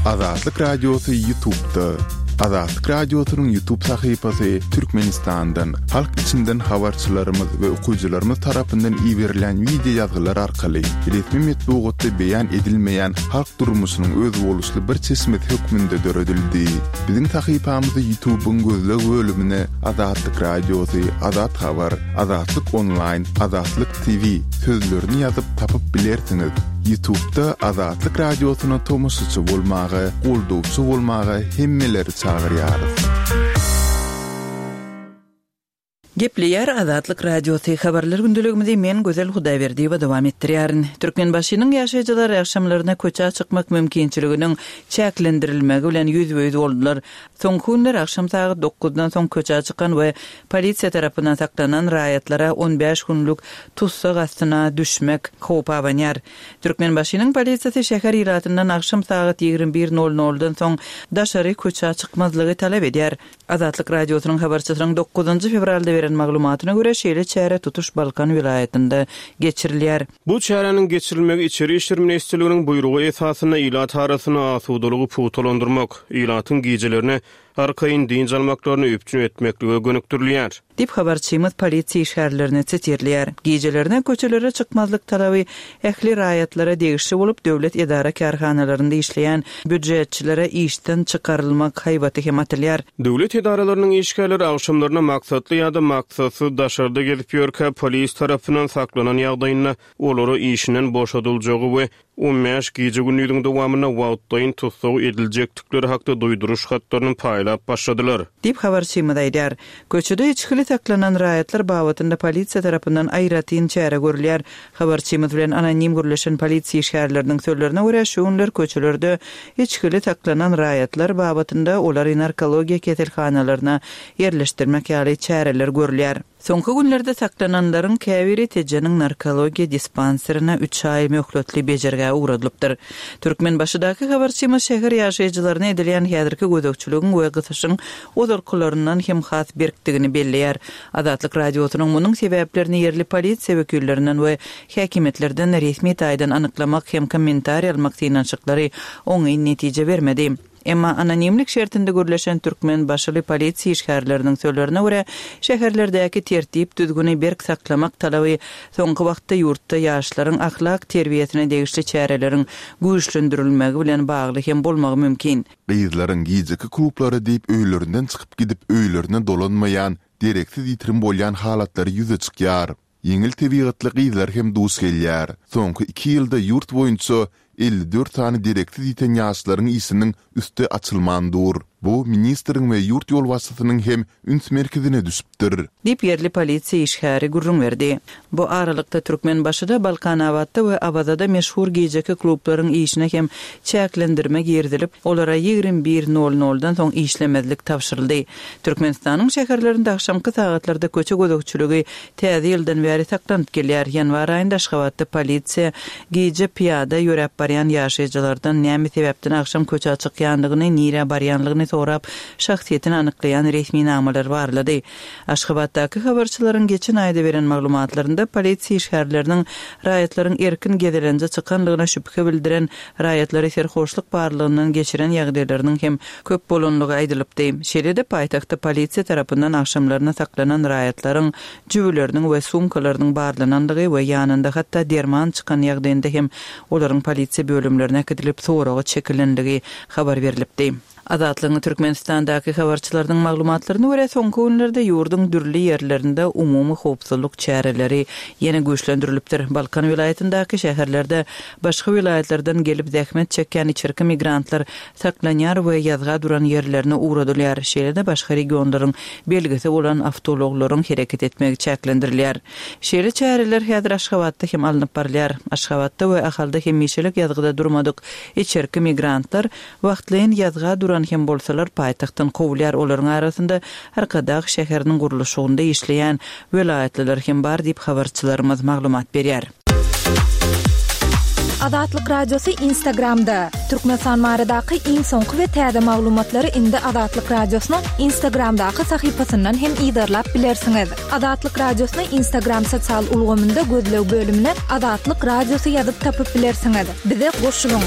Azatlyk Radiosy Ýutubda. Azatlyk Radiosynyň Ýutub sahypasy Türkmenistandan, halk içinden habarçylarymyz we okyjylarymyz tarapyndan iberilýän wideo ýazgylar arkaly resmi metbugatda beýan edilmeýän halk durmuşynyň özboluşly bir çeşmesi hökmünde döredildi. Biziň sahypamyzy Ýutubyň gözleg bölümine Azatlyk Radiosy, Azat Habar, Azatlyk Onlaýn, Azatlyk TV sözlerini ýazyp tapyp bilersiňiz. Ýutubda Azatlyk Radiosyna tomaşaçy bolmaga, goldawçy bolmaga hemmeleri çagyrýarys. Gepleýär Azatlyk Radiosy, Habarlar gündeligimizi men Gözel Hudaýberdiýewa dowam etdirýärin. Türkmenbaşynyň ýaşaýjylary agşamlaryna köçä çykmak mümkinçiliginiň çäklendirilmegi bilen ýüzbe-ýüz boldular. Soňky günler agşam sagat dokuzdan soň köçä çykan we polisiýa tarapyndan saklanan raýatlara on bäş günlük tussag astyna düşmek howpy abanýar. Türkmenbaşynyň polisiýasy şäher ilatyndan agşam sagat 21 nol noldan soň daşary köçä çykmazlygy talap edýär. Azatlyk Radiosynyň habarçysynyň dokuzynjy fewralda beren maglumatyna görä, şeýle çäre tutuş Balkan welaýatynda geçirilýär. Bu çäräniň geçirilmegi Içeri işler ministrliginiň buýrugy esasynda ilat arasynda asudalygy pugtalandyrmak, ilatyň gijelerine arkaýyn dynç almaklaryny üpjün etmeklige gönükdirilýär. Diýip, habarçymyz polisiýa işgärlerini sitirleýär. Gijelerine köçelere çykmazlyk talaby ähli raýatlara degişli bolup, döwlet edara-kärhanalarynda işleýän býujetçilere işden çykarylmak haýbaty hem atylýar. Döwlet edaralarynyň işgärleri agşamlaryna maksatly ýa-da maksatsyz daşarda gezip ýörkä polis tarapyndan saklanan ýagdaýynda olara işinden boşadyljagy we on bäş gije-gündiziň dowamynda wagtlaýyn tussag ediljekdikleri hakda duýduryş hatlaryny paýlap başladylar. Diýip, habarçymyz aýdýar. Köçede içgili saklanan raýatlar babatynda polisiýa tarapyndan aýratyn çäre görülýär. Habarçymyz bilen anonim gürleşen polisiýa işgärleriniň sözlerine görä, şu günler köçelerde içgili saklanan raýatlar babatynda olary narkologiýa keselhanalaryna ýerleşdirmek ýaly çäreler görülýär. Soňky günlerde saklananlaryň käbiri Tejeniň narkologiýa dispanserine üç aý möhletli bejergä ugradylypdyr. Türkmenbaşydaky habarçymyz şäher ýaşaýjylaryna edilýän häzirki gözegçiligiň we gysyşyň ozalkylaryndan hem has berkdigini belleýär. Azatlyk Radiosynyň munuň sebäplerini ýerli polisiýa wekillerinden we häkimiýetlerden resmi taýdan anyklamak hem kommentariý almak synanyşyklary oňyn netije bermedi. Emma anonimlik şertinde gürleşen türkmenbaşyly polisiýa işgärleriniň sözlerine görä, şäherlerdäki tertip-düzgüni berk saklamak talaby soňky wagtda ýurtda ýaşlaryň ahlak terbiýesine degişli çäreleriň güýçlendirilmegi bilen bagly hem bolmagy mümkin. Gyzlaryň gijeki klublara diýip öýlerinden çykyp gidip öýlerine dolanmaýan, dereksiz ýitirim bolýan halatlary ýüze çykýar. Ýeňil tebigatly gyzlar hem duş gelýär. Soňky iki ýylda ýurt boýunça 54 sany dereksiz ýiten ýaşlaryň işiniň üsti açylman dur. Bu ministriň we ýurt ýolbaşçysynyň hem üns merkezine düşüpdir. Diýip, ýerli polisiýa işgäri gürrüň berdi. Bu aralykda, Türkmenbaşyda, Balkanabatda we Awazada meşhur gijeki klublaryň işine hem çäklendirme girizilip, olara 21 nol noldan soň işlemezlik tabşyryldy. Türkmenistanyň şäherlerinde agşamky sagatlarda köçe gözegçiligi Täze ýyldan bäri saklanyp gelýär. Ýanwar aýynda Aşgabatda polisiýa gije pyýada ýöräp barýan ýaşaýjylardan näme sebäpden agşam köçä çykýandygyny, nirä barýanlygyny sorap, şahsyýetini anyklaýan resminamalary barlady. Aşgabatdaky habarçylaryň geçen aýda beren maglumatlarynda polisiýa işgärleriniň raýatlaryň erkin gezelenje çykanlygyna şübhe bildiren raýatlary serhoşlyk barlagyndan geçiren ýagdaýlarynyň hem köp bolanlygy aýdylypdy. Şeýle-de paýtagtda polisiýa tarapyndan agşamlaryna saklanan raýatlaryň jübüleriniň we sumkalarynyň barlanandygy we ýanynda hatda derman çykan ýagdaýynda hem olaryň polisiýa bölümlerine äkidilip soraga çekilenligi habar berlipdi. Azatlygyň Türkmenistandaky habarçylarynyň maglumatlaryna görä, soňky günlerde ýurduň dürli ýerlerinde umumy howpsuzlyk çäreleri ýene güýçlendirilipdir. Balkan welaýatyndaky şäherlerde başga welaýatlardan gelip zähmet çekýän içerki migrantlar saklanýar we ýazga duran ýerlerine ugradylýar, şeýle-de başga regionlaryň belgisi bolan awtoulaglaryň hereket etmegi çäklendirilýär. Şeýle çäreler häzir Aşgabatda hem alnyp barylýar. Aşgabatda we Ahalda hemişelik ýazgyda durmadyk içerki migrantlar wagtlaýyn ýazga duran hem bolsalar paýtagtdan kowulýar, olaryň arasynda Arkadag şäheriniň gurluşygynda işleýän welaýatlylar hem bar diýip, habarçylarymyz maglumat berýär. Azatlyk Radiosy Instagramda, Türkmenistan baradaky iň soňky we täze maglumatlary indi Azatlyk Radiosynyň Instagramdaky sahypasyndan hem yzarlap bilersiňiz. Azatlyk Radiosyny Instagram sosial ulgamynda gözleg bölümine Azatlyk Radiosy ýazyp tapyp bilersiňiz. Bize goşulyň!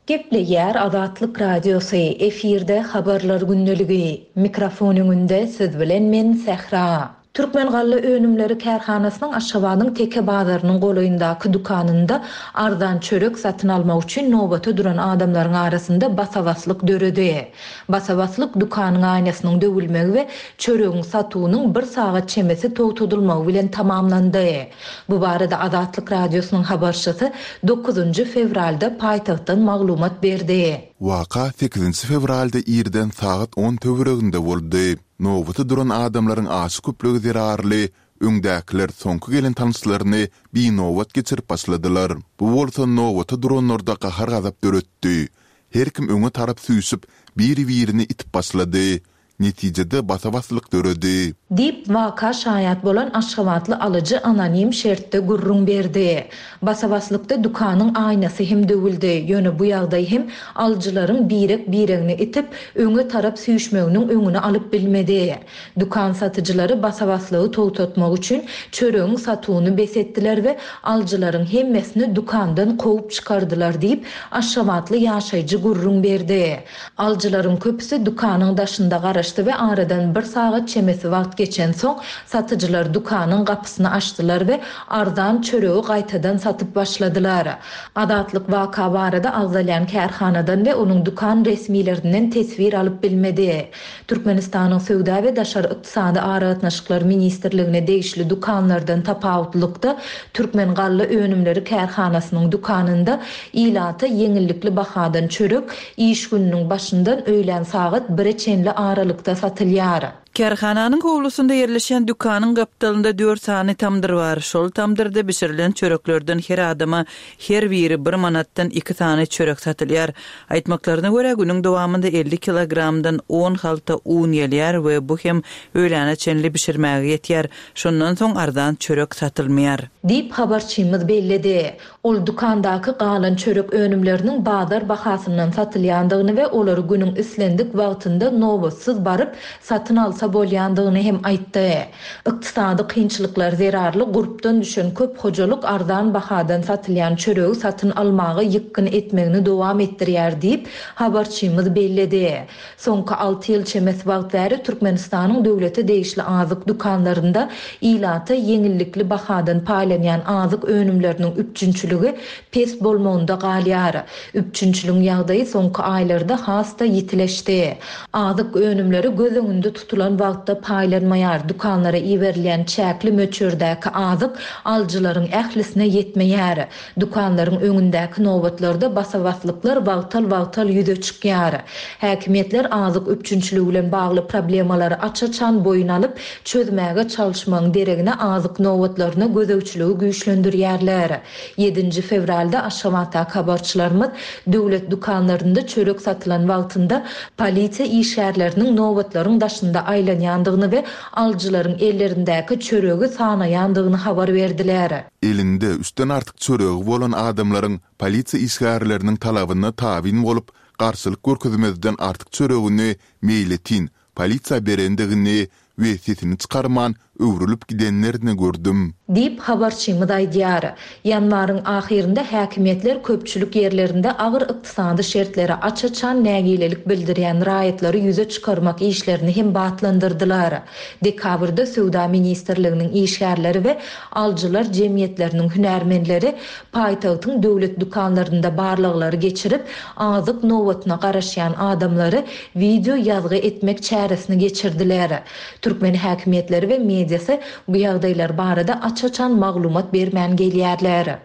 Gepleýär Azatlyk Radiosy, efirde Habarlar gündeligi. Mikrofon öňünde siz bilen men Sähra. Türkmen galla önümleri kärhanasynyň Aşgabadyň Teke bazarynyň golaýyndaky dükanynda arzan çörek satyn almak üçin nobata duran adamlaryň arasynda basa-baslyk döredi. Basa-baslyk dükanyň aýnasynyň döwülmegi we çöregiň satuwynyň bir sagat çemesi togtadylmagy bilen tamamlandy. Bu barada Azatlyk Radiosynyň habarçysy dokuzynjy fewralda paýtagtdan maglumat berdi. Waka sekizinji fewralda irden sagat on töwereginde boldy. Nobata duran adamlaryň aşa köplügi zerarly öňdäkiler soňky gelen tanyşlaryny binobat geçirip başladylar. Bu bolsa nobata duranlarda gahar-gazap döretdi. Her kim öňe tarap süýşüp, bir-birini itip başlady. Netijede basa-baslyk döredi. Diýip, waka şaýat bolan aşgabatly alyjy anonim şertde gürrüň berdi. Basa-baslykda dükanyň aýnasy hem döwüldi. Ýöne bu ýagdaý hem alyjylaryň birek-biregini itip, öňe tarap süýşmeginiň öňüni alyp bilmedi. Dükan satyjylary basa-baslygy togtatmak üçin çöregiň satuwyny bes etdiler we alyjylaryň hemmesini dükandan kowup çykardylar diýip, aşgabatly ýaşaýjy gürrüň berdi. Alyjylaryň köpüsi dükanyň daşynda garaşdy we aradan bir sagat çemesi wagt geçensoň, satyjylar dükanyň gapysyny açdylar we arzan çöregi gaýtadan satyp başladylar. Azatlyk waka barada agzalýan kärhanadan we onuň dükan resmilerinden teswir alyp bilmedi. Türkmenistanyň Söwda we daşary ykdysady aragatnaşyklar ministrligine degişli dükanlardan tapawutlylykda, Türkmen galla önümleri kärhanasynyň dükanynda ilata ýeňillikli bahadan çörek iş gününiň başyndan öýlän sagat bire çenli aralykda satylýar. Kärhananyň howlusynda ýerleşýän dükanyň gapdalynda dört sany tamdyr bar. Şol tamdyrda bişirilen çöreklerden her adama her biri bir manatdan iki sany çörek satylýar. Aýtmaklaryna görä, günüň dowamynda 50 kilogramdan on halta un gelýär we bu hem öýläne çenli bişirmäge ýetýär. Şondan soň arzan çörek satylmaýar. Diýip, habarçymyz belledi. Ol dükandaky galan çörek önümleriniň bazar bahasyndan satylýandygyny we olary günüň islendik wagtynda nobatsyz baryp, satyn alsa bolýandygyny hem aýtdy. Ykdysady kynçylyklar zerarly gurpdan düşen köp hojalyk arzan bahadan satylýan çöregi satyn almaga ýykgyn etmegini dowam etdirýär diýip, habarçymyz belledi. Soňky alty ýyl çemesi wagt bäri Türkmenistanyň döwlete degişli azyk dükanlarynda ilata ýeňillikli bahadan paýlanýan azyk önümleriniň üpjünçiligi pes bolmagynda galýar. Üpjünçiligiň ýagdaýy soňky aýlarda has-da ýitileşdi. Azyk önümleri göz öňünde tutulan wagtda paýlanmaýar, dükanlara iberilýän çäkli möçberdäki azyk alyjylaryň ählisine ýetmeýär. Dükanlaryň öňündäki nobatlarda basa-baslyklar wagtal-wagtal ýüze çykýar. Häkimiýetler azyk üpjünçiligi bilen bagly problemalary aç-açan boýun alyp, çözmäge çalyşmagyň deregine azyk nobatlaryna gözegçiligi güýçlendirýärler. Ýedinji fewralda Aşgabatdaky habarçylarymyz döwlet dükanlarynda çörek satylan wagtynda polisiýa işgärleriniň nobatlaryň daşynda aýlanýandygyny we alyjylaryň ellerindäki çöregi sanaýandygyny habar berdiler. Elinde üçden artyk çöregi bolan adamlaryň polisiýa işgärleriniň talabyna tabyn bolup, garşylyk görkezmezden artyk çöregini meýletin polisiýa berendigini we sesini çykarman öwrülip gidenlerini gördüm. Diýip, habarçymyz aýdýar. Ýanwaryň ahyrynda häkimiýetler köpçülik ýerlerinde agyr ykdysady şertlere aç-açan nägilelik bildirýän raýatlary ýüze çykarmak işlerini hem batlandyrdylar. Dekabrda Söwda ministrliginiň işgärleri we alyjylar jemgyýetleriniň hünärmenleri paýtagtyň döwlet dükanlarynda barlaglary geçirip, azyk nobatyna garaşýan adamlary wideo ýazgy etmek çäresini geçirdiler. Türkmen häkimiýetleri we mediasy bu ýagdaýlar barada aç-açan maglumat bermän gelýärler.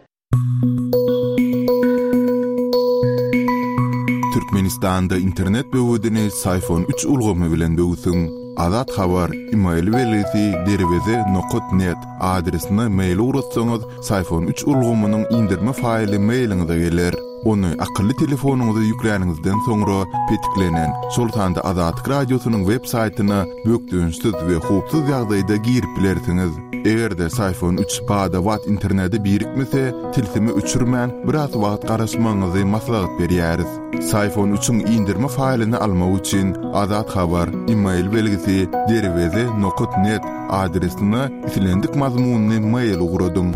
Türkmenistanda internet böwedini Syfon üç ulgamy bilen böwsüň. Azat Habar, email belgisi derweze nokat net adresine mail ugratsaňyz, Syfon üç ulgamynyň indirme faýly mailiňize geler. Ony akylly telefonyňyza ýükläniňizden soňra petiklenen, şol sanda Azatlyk Radiosynyň web saýtyna bökdençsiz we howpsuz ýagdaýda girip bilersiňiz. Eger-de Syfon üç bada-bat internete birikmese, tilsimi öçürmän, biraz wagt garaşmagyňyzy maslahat berýäris. Syfon üçiň indirme faýlyny almak üçin Azat Habar, email belgisi, derweze nokat net adresine islendik mazmunly mail ugradyň.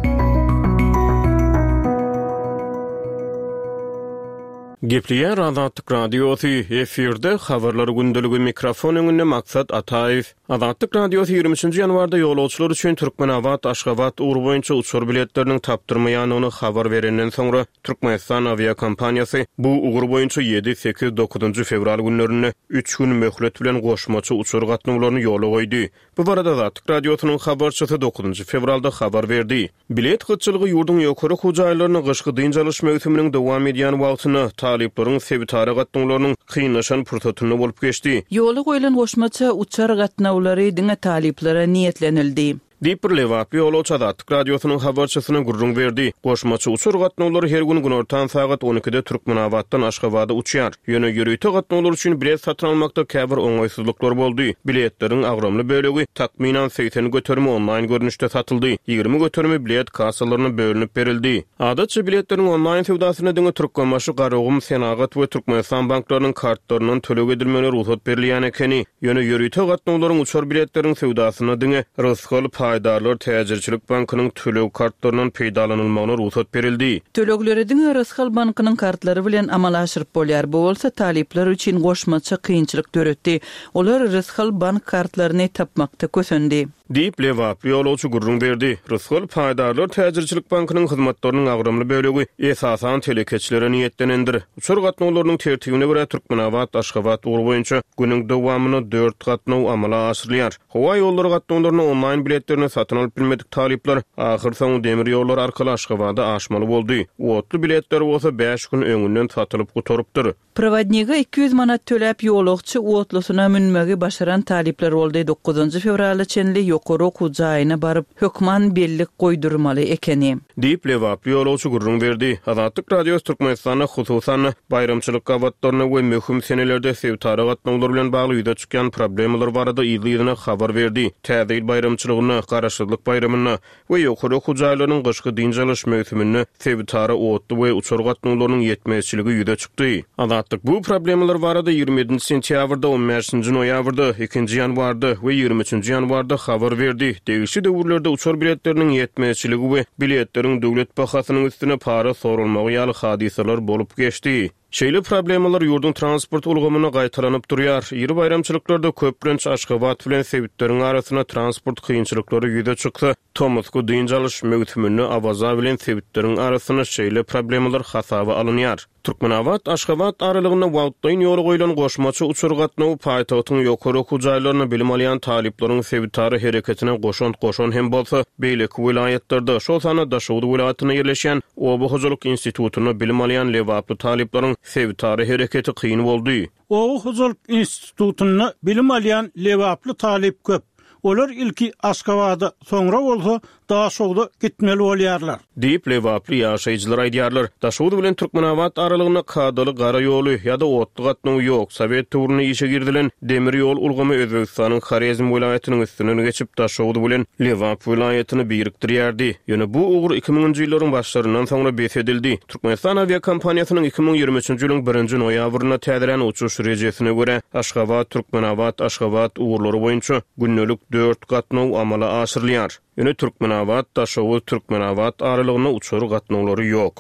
Gepleýär Azatlyk Radiosy, efirde Habarlar gündeligi, mikrofon öňünde Maksat Ataýew. Azatlyk Radiosy 23-nji ýanwarda ýolagçylar üçin Türkmenabat, Aşgabat ugry boýunça uçar biletleriniň tapdyrmaýandygyny habar berenden soňra, Türkmenistan awiakompaniýasy bu ugur boýunça ýedi, sekiz, dokuzynjy fewral günlerinde üç gün möhlet bilen goşmaça uçar gatnawlaryny ýola goýdy. Bu barada Azatlyk Radiosynyň habarçysy dokuzynjy fewralda habar berdi. Bilet gytçylygy ýurduň ýokary okuw jaýlarynda gyşky dynç alyş möwsüminiň dowam edýän wagtynda, talyplaryň sebitara gatnawlarynyň kynlaşan pursatynda bolup geçdi. Ýola goýlan goşmaça uçar gatnawlary diňe talyplara niýetlenildi. Diýip, bir lebaply ýolagçy Azatlyk Radiosynyň habarçysyna gürrüň berdi. Goşmaça uçar gatnawlary her gün günortan sagat on ikide Türkmenabatdan Aşgabada uçýar. Ýöne ýörite gatnawlar üçin bilet satyn almakda käbir oňaýsyzlyklar boldy. Biletleriň agramly bölegi, takmynan 80 göterimi onlaýn görnüşde satyldy, 20 göterimi bilet kassalaryna bölünip berildi. Adatça biletleriň onlaýn söwdasynda diňe Türkmenbaşy, Garagum, Senagat we Türkmenistan banklarynyň kartlaryndan töleg edilmegine rugsat berilýän ekeni. Ýöne ýörite gatnawlaryň uçar biletleriň söwdasynda diňe Rysgal paýdarlar täjirçilik bankynyň töleg kartlaryndan peýdalanylmagyna rugsat berildi. Tölegleri diňe Rysgal bankynyň kartlary bilen amala aşyryp bolýar. Bu bolsa talyplar üçin goşmaça kynçylyk döretdi. Olar Rysgal bank kartlaryny tapmakda kösendi. Diýip, lebaply ýolagçy gürrüň berdi. Rysgal paýdarlar täjirçilik bankynyň hyzmatlarynyň agramly bölegi, esasan, telekeçilere niýetlenendir. Uçar gatnawlarynyň tertibine görä, Türkmenabat, Aşgabat ugry boýunça günüň dowamynda dört gatnaw amala aşyrylýar. Howa ýollary gatnawlaryna onlaýn biletlerini satyn alyp bilmedik talyplar ahyrsoňy demir ýollar arkaly Aşgabada aşmaly boldy. Otly biletler bolsa bäş gün öňünden satylyp gutarypdyr. Prowodnige 200 manat töläp ýolagçy otlusyna münmegi başaran talyplar boldy. Dokuzynjy fewrala çenli ýokary okuw jaýyna baryp, hökman bellik goýdurmaly ekeni. Diýip, lebaply ýolagçy gürrüň berdi. Azatlyk Radiosy Türkmenistanda, hususan-da, baýramçylyk gabatlarynda we möhüm senelerde sebitara gatnawlar bilen bagly ýüze çykýan problemalar barada yzly-yzyna habar berdi. Täze ýyl baýramçylygynda, Garaşsyzlyk baýramynda, we ýokary okuw jaýlarynyň gyşky dynç alyş möwsüminde sebitara otly we uçar gatnawlarynyň ýetmezçiligi ýüze çykdy. Azatlyk bu problemalar barada 27-nji sentýabrda, 15-nji noýabrda, ikinji ýanwarda we 23-nji ýanwarda habar berdi. Degişli döwürlerde uçar biletleriniň ýetmezçiligi we biletleriň döwlet bahasynyň üstüne para soralmagy ýaly hadysalar bolup geçdi. Şeýle problemalar ýurduň transport ulgamynda gaýtalanyp durýar. Iri baýramçylyklarda köplenç Aşgabat bilen sebitleriň arasynda transport kynçylyklary ýüze çyksa, tomusky dynç alyş möwsüminde Awaza bilen sebitleriň arasynda şeýle problemalar hasaba alynýar. Türkmenabat, Aşgabat aralygynda wagtlaýyn ýola goýlan goşmaça uçar gatnawy paýtagtyň ýokary okuw jaýlarynda bilim alýan talyplaryň sebitara hereketine goşant goşan hem bolsa, beýleki welaýatlarda, şol sanda Daşoguz welaýatynda ýerleşýän Oba hojalyk institutynda bilim alýan lebaply talyplaryň sebitara hereketi kyn boldy. Oba hojalyk institutynda bilim alýan lebaply talyp köp. Olar ilki Aşgabada, soňra bolsa Daşogza gitmeli bolýarlar. Diýip, lebaply ýaşaýjylar aýdýarlar. Daşoguz bilen Türkmenabat aralygynda kadaly gara ýoly ýa-da otly gatnawy ýok. Sowet döwründe işe girizilen demir ýol ulgamy Özbegistanyň Horezm welaýatynyň üstünden geçip, Daşoguz bilen Lebap welaýatyny birikdirýärdi. Ýöne bu ugur iki müňünji ýyllaryň başlaryndan soňra bes edildi. Türkmenistan awiakompaniýasynyň 2023-nji ýylyň birinji noýabrynda täzelän uçuş rejesine görä, Aşgabat, Türkmenabat, Aşgabat ugurlary boýunça gündelik dört gatnaw amala aşyrylýar. Ýöne Türkmenabat, Daşoguz, Türkmenabat aralygynda uçar gatnawlary ýok.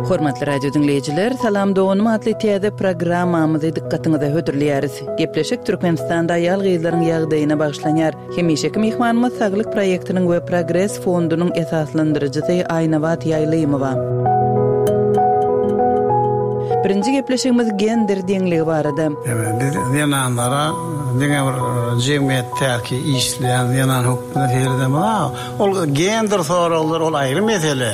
Hormatly radio diňleýjiler, Salam doganym atly täze programmamyzy dykgatyňyza hödürleýäris. Gepleşik Türkmenistanda aýal-gyzlaryň ýagdaýyna bagyşlanýar. Hemişeki myhmanymyz Saglyk proýektiniň we Progres fondunyň esaslandyryjysy Aýnabat Ýaýlymowa. Birinji gepleşigimiz gender deňligi barada. Biz zenanlara diňe bir jemgyýetdäki işleýän zenan hökmünde seredemok. Ol gender soraglary ol aýry mesele.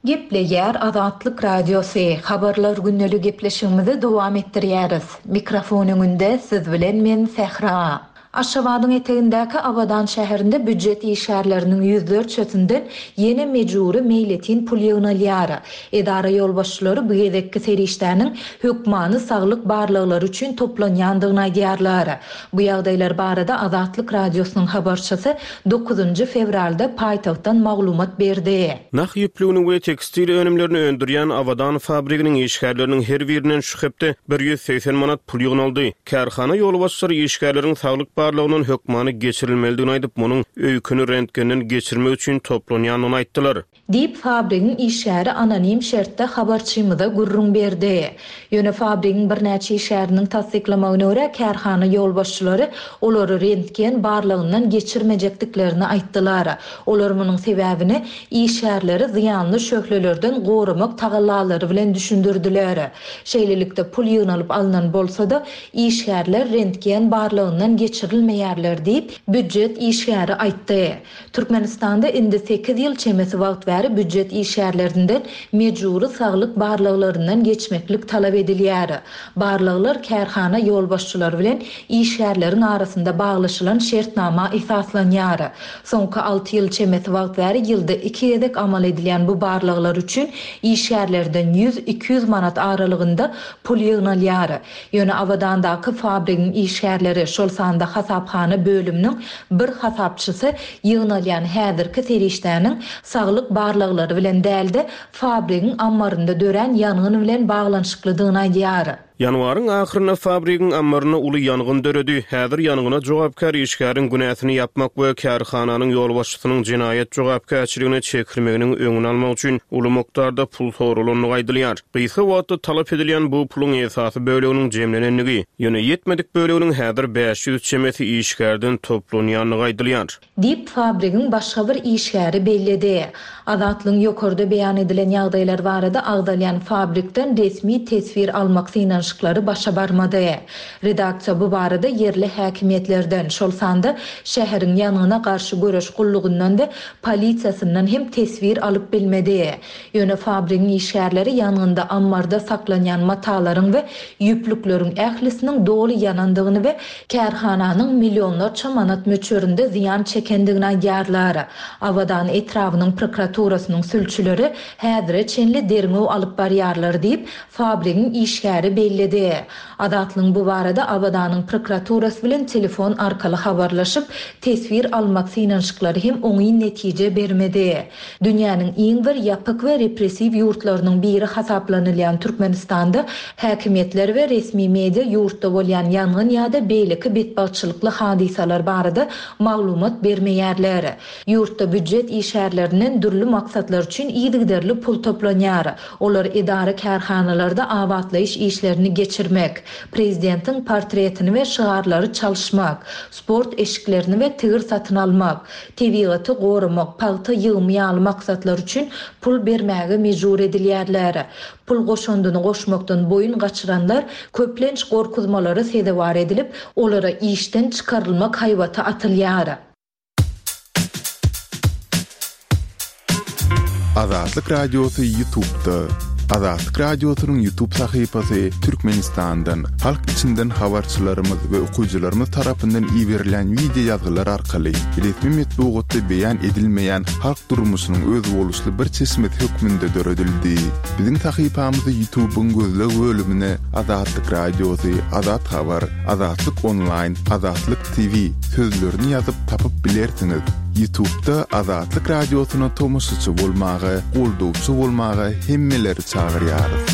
Gepleýär Azatlyk Radiosy, Habarlar gündeli gepleşigimizi dowam etdirýäris. Mikrofon öňünde siz bilen men Sähra. Aşgabadyň etegindäki Abadan şäherinde býujet işgärleriniň ýüzlerçesinden ýene mejbury meýletin pul ýygnalýar. Edara ýolbaşçylary bu gezekki serişdäniň hökmany saglyk barlaglary üçin toplanýandygyny aýdýarlar. Bu ýagdaýlar barada Azatlyk Radiosynyň habarçysy dokuzynjy fewralda paýtagtdan maglumat berdi. Nah ýüplügini we tekstil önümlerini öndürýän Abadan fabriginiň işgärleriniň her birinden şu hepde 180 manat pul ýygnaldy. Kärhana ýolbaşçylary işgärleriň saglyk. barlagyndan hökmany geçirilmelidigini aýdyp, munuň öýkeni rentgenden geçirmek üçin toplanýandygyny aýtdylar. Diýip, fabrigiň işgäri anonim şertde habarçymyza gürrüň berdi. Ýöne fabrigiň birnäçe işgäriniň tassyklamagyna görä, kärhana ýolbaşçylary olary rentgen barlagyndan geçirmejekdiklerini aýtdylar. Olar munuň sebäbini işgärleri zyýanly şöhlelerden goramak tagallalary bilen düşündirdiler. Şeýlelikde, pul ýygnalyp alnan bolsa-da, işgärler rentgen barlagyndan geçirilmeýärler diýip, býujet işgäri aýtdy. Türkmenistanda indi sekiz ýyl çemesi wagt bäri býujet işgärlerinden mejbury saglyk barlaglaryndan geçmeklik talap edilýär. Barlaglar kärhana ýolbaşçylary bilen işgärleriň arasynda baglaşylan şertnama esaslanýar. Soňky alty ýyl çemesi wagt bäri ýylda iki gezek amal edilýän bu barlaglar üçin işgärlerden ýüz, 200 manat aralygynda pul ýygnalýar. Ýöne Abadandaky fabrigiň işgärleri, şol sanda hasaphana bölüminiň bir hasapçysy ýygnalýan häzirki serişdäniň saglyk barlaglary bilen däl-de, fabrigiň ammarynda dörän ýangyn bilen baglanyşyklydygyny aýdýar. Ýanwaryň ahyrynda fabrigiň ammarynda uly ýangyn döredi. Häzir ýangyna jogapkär işgäriň günäsini ýapmak we kärhananyň ýolbaşçysynyň jenaýat jogapkärçiligine çekilmeginiň öňüni almak üçin uly mukdarda pul soralandygy aýdylýar. Gysga wagtda talap edilýän bu puluň esasy böleginiň jemlenendigi, ýöne ýetmedik böleginiň häzir 500 çemesi işgärden toplanýandygy aýdylýar. Diýip, fabrigiň başga bir işgäri belledi. Azatlygyň ýokarda beýan edilen ýagdaýlar barada agzalýan fabrikden resmi teswir almak synanyşyklary başa barmady. Redaksiýa bu barada ýerli häkimiýetlerden, şol sanda şäheriň ýangyna garşy göreş gullugyndan we polisiýasyndan hem teswir alyp bilmedi. Ýöne fabrigiň işgärleri ýangynda ammarda saklanýan matalaryň we ýüplükleriň ählisiniň doly ýanandygyny we kärhananyň millionlarça manat möçberinde zyýan çekendigini aýdýarlar. Abadan etrabynyň prokuraturasynyň sülçüleri häzire çenli derňew alyp barýarlar diýip, fabrigiň işgäri belledi. Azatlygyň bu barada Abadanyň prokuraturasy bilen telefon arkaly habarlaşyp, teswir almak synanyşyklary hem oňyn netije bermedi. Dünýäniň iň bir ýapyk we repressiw ýurtlarynyň biri hasaplanylýan Türkmenistanda häkimiýetler we resmi media ýurtda bolýan ýangyn ýa-da beýleki betbagtçylykly hadysalar barada maglumat bermeýärler. Ýurtda býujet işgärlerinden dürli maksatlar üçin yzygiderli pul toplanýar. Olar edara-kärhanalarda abatlaýyş işlerini geçirmek, prezidentiň portretini we şygarlary çalyşmak, sport eşiklerini we tigir satyn almak, tebigaty goramak, pagta ýygymy ýaly maksatlar üçin pul bermäge mejbur edilýärler. Pul goşandyny goşmakdan boýun gaçyranlar köplenç gorkuzmalara sezewar edilip, olara işden çykarylmak haýbaty atylýar. Azatlyk Radiosy YouTube'da. Azatlyk Radiosynyň YouTube sahypasy Türkmenistandan, halk içinden habarçylarymyz we okyjylarymyz tarapyndan iberilýän wideo ýazgylar arkaly resmi metbugatda beýan edilmeýän halk durmuşynyň özboluşly bir çeşmesi hökmünde döredildi. Biziň sahypamyzy YouTube'yň gözleg bölümine Azatlyk Radiosy, Azat Habar, Azatlyk Onlaýn, Azatlyk TV sözlerini ýazyp tapyp bilersiňiz. Ýutubda Azatlyk Radiosyna tomaşaçy bolmaga, goldawçy bolmaga hemmeleri çagyrýarys.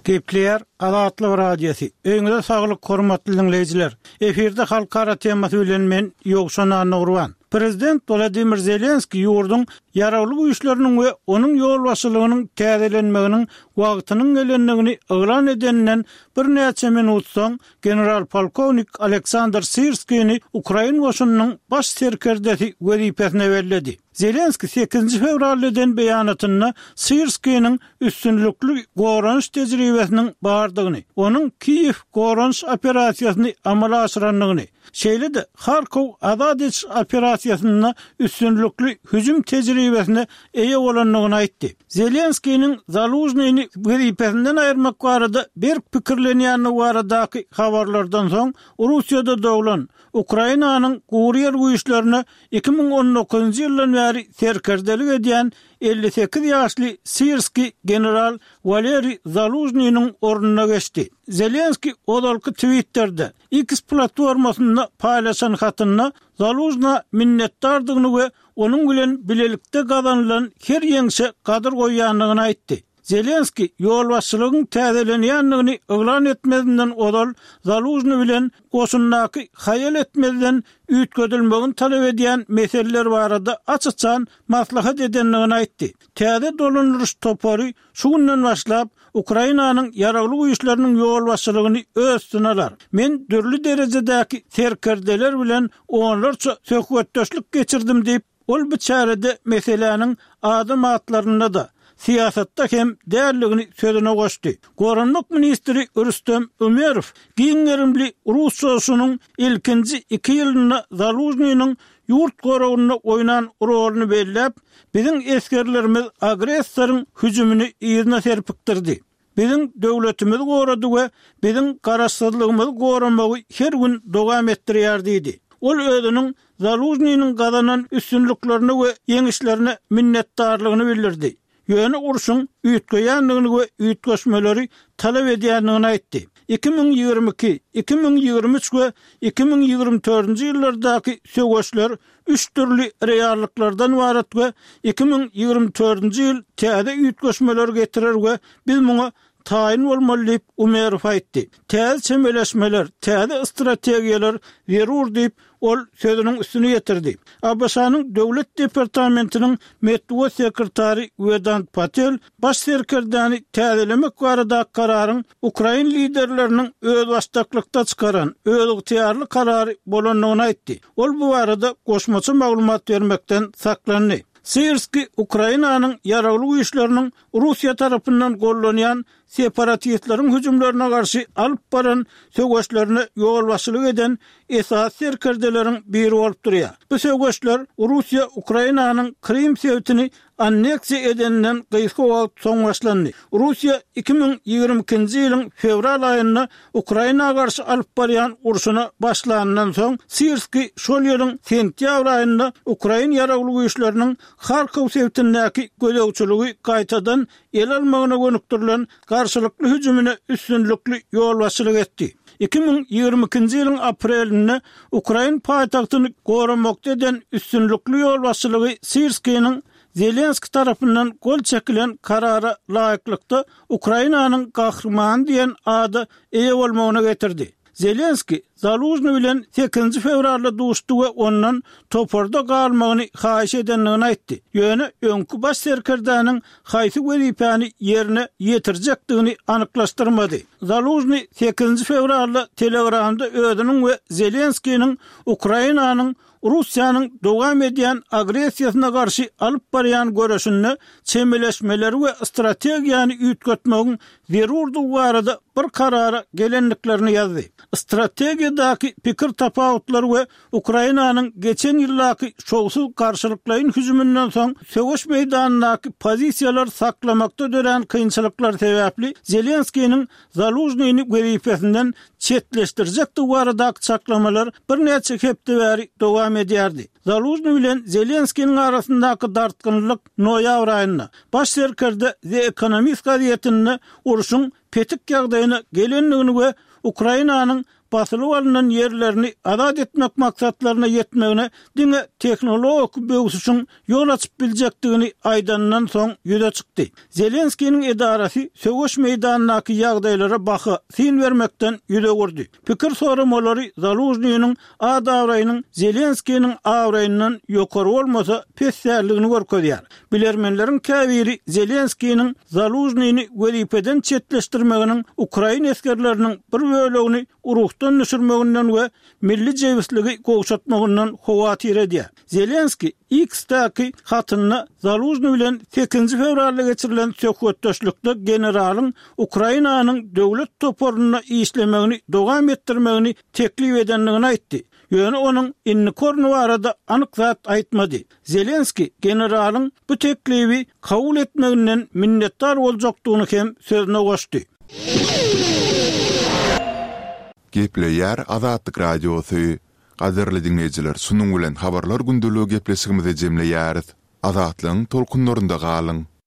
Gepleýär Azatlyk Radiosy. Öýüňize saglyk hormatly diňleýjiler. Efirde halkara temasy bilen men Ýowşan Annagurban. Prezident Wladimir Zelenskiý ýurduň Ýaragly Güýçleriniň we onuň ýolbaşçylygynyň täzelenmeginiň wagtynyň gelendigini yglan edeninden birnäçe minut soň general-polkownik Aleksandr Syrskini ukrain goşunynyň baş serkerdesi wezipesine belledi. Zelenskiý sekizinji fewralda eden beýanatynda Syrskiniň üstünlikli goranyş tejribesiniň bardygyny, onuň Kiýew goranyş operasiýasyny amala aşyrandygyny, şeýle-de Harkow azat ediş operasiýasynda üstünlikli hüjüm tejribesine eýe bolandygyny aýtdy. Zelenskiniň Zalužnyny wezipesinden aýyrmak barada berk pikirlenýändigi baradaky habarlardan soň, Russiýada doglan, Ukrainanyň gury ýer güýçlerine 2019-njy ýyldan bäri serkerdelik edýän 58 ýaşly Sirskiý general Waleriý Zalužnynyň ornuna geçdi. Zelenskiý ozalky Twitterde, X platformasynda paýlaşan hatynda Zalužna minnetdardygyny we onuň bilen bilelikde gazanylan her ýeňşe gadyr goýýandygyny aýtdy. Zelenskiý ýolbaşçylygyň täzelenýändigini yglan etmezinden ozal Zalužnyý bilen goşundaky haýal etmezden üýtgedilmegini talap edýän meseleler barada aç-açan maslahat edendigini aýtdy. Täze dolandyryş topary şu günden başlap Ukrainanyň Ýaragly Güýçleriniň ýolbaşçylygyny öz üstüne alar. Men dürli derejedäki serkerdeler bilen onlarça söhbetdeşlik geçirdim diýip, Ol bu çärede meseläniň adam atlarynda-da, syýasatda hem däldigini sözüne goşdy. Goranmak ministri Rüstem Umerow giň gerimli rus çozuşynyň ilkinji iki ýylynda Zalužnynyň ýurt goragynda oýnan roluny belläp, Biziň esgerlerimiz agressoryň hüjümini yzyna serpikdirdi. Biziň döwletimizi gorady we biziň garaşsyzlygymyzy goramagy her gün dowam etdirýär diýdi. Ol özüniň Zalužnynyň gazanan üstünliklerine we ýeňişlerine minnetdarlygyny bildirdi. Ýöne urşuň üýtgeýändigini we üýtgeşmeleri talap edýändigini aýtdy. 2022, 2023 we 2024-nji ýyllardaky söweşler üç dürli reallyklardan ybarat we 2024-nji ýyl täze üýtgeşmeleri getirer we biz muňa taýyn bolmaly diýip, Umerow aýtdy. Täze çemeleşmeler, täze strategiýalar zerur diýip, ol sözüniň üstüni ýetirdi. ABŞ-nyň Döwlet departamentiniň metbugat sekretary Wedant Patel baş serkerdäni täzelemek baradaky kararyň ukrain liderleriniň özbaşdaklykda çykaran özygtyýarly karary bolandygyny aýtdy. Ol bu barada goşmaça maglumat bermekden saklandy. Syrskiý Ukrainanyň Ýaragly Güýçleriniň Russiýa tarapyndan gollanýan separatistleriň hüjümlerine garşy alyp baran söweşlerine ýolbaşçylyk eden esasy serkerdeleriň biri bolup durýar. Bu söweşler Russiýa Ukrainanyň Krym sebitini anneksiýa edeninden gysga wagt soň başlandy. Russiýa 2022-nji ýylyň fewral aýynda Ukraina garşy alyp barýan urşuna başlanyndan soň, Syrskiý şol ýylyň sentýabr aýynda ukrain ýaragly güýçleriniň Harkow sebitindäki gözegçiligi gaýtadan ele almagyna gönükdirilen garşylykly hüjümine üstünlikli ýolbaşçylyk etdi. 2022-nji ýylyň aprelinde ukrain paýtagtyny goramakda eden üstünlikli ýolbaşçylygy Syrskiniň Zelenskiý tarapyndan gol çekilen karara laýyklykda Ukrainanyň Gahrymany diýen ada eýe bolmagyna getirdi. Zelenskiý Zalužnyý bilen sekizinji fewralda duşdy we ondan toparda galmagyny haýyş edendigini aýtdy. Ýöne öňki baş serkerdäniň haýsy wezipäni ýerine ýetirjekdigini anyklaşdyrmady. Zalužnyý sekizinji fewralda Telegramda özüniň we Zelenskiniň Ukrainanyň Russiýanyň dowam edýän agressiýasyna garşy alyp barýan göreşinde çemeleşmeleri we strategiýany üýtgetmegiň zerurdygy barada bir karara gelendiklerini ýazdy. Strategiýadaky pikir tapawutlary we Ukrainanyň geçen ýyldaky şowsuz garşylyklaýyn hüjüminden soň söweş meýdanyndaky pozisiýalary saklamakda dörän kynçylyklar sebäpli Zelenskiniň Zalužnyny wezipesinden çetleşdirjekdigi baradaky çaklamalar birnäçe hepde bäri dowam edýärdi. Zalužnyý bilen Zelenskiniň arasyndaky dartgynlylyk noýabr aýynda, baş serkerde The Economist gazetinde urşuň petik ýagdaýyna gelendigini we Ukrainanyň basylyp alnan ýerlerini azat etmek maksatlaryna ýetmegine diňe tehnologik böwsüşiň ýol açyp biljekdigini aýdanyndan soň ýüze çykdy. Zelenskiniň edarasy söweş meýdanyndaky ýagdaýlara baha, syn bermekden ýüz öwürdi. Pikir soramalary Zalužnynyň at-abraýynyň Zelenskiniň abraýyndan ýokary bolmasa, pes däldigini görkezýär. Bilermenleriň käbiri Zelenskiniň Zalužnyny wezipeden çetleşdirmeginiň ukrain esgerleriniň bir bölegini ruhdan düşürmeginden we milli jebisligi gowşatmagyndan howatyr edýär. Zelenskiý X-däki hatynda Zalužnyý bilen sekizinji fewralda geçirilen söhbetdeşlikde generalyň Ukrainanyň döwlet toparynda işlemegini dowam etdirmegini teklip edendigini aýtdy. Ýöne onuň indiki orny barada anyk zat aýtmady. Zelenskiý generalyň bu teklibi kabul etmeginden minnetdar boljakdygyny hem sözüne goşdy. Gepleýär Azatlyk Radiosy. Gadyrly diňleýjiler şunuň bilen Habarlar gündeligi gepleşigimizi jemleýäris. Azatlygyň tolkunlarynda galyň!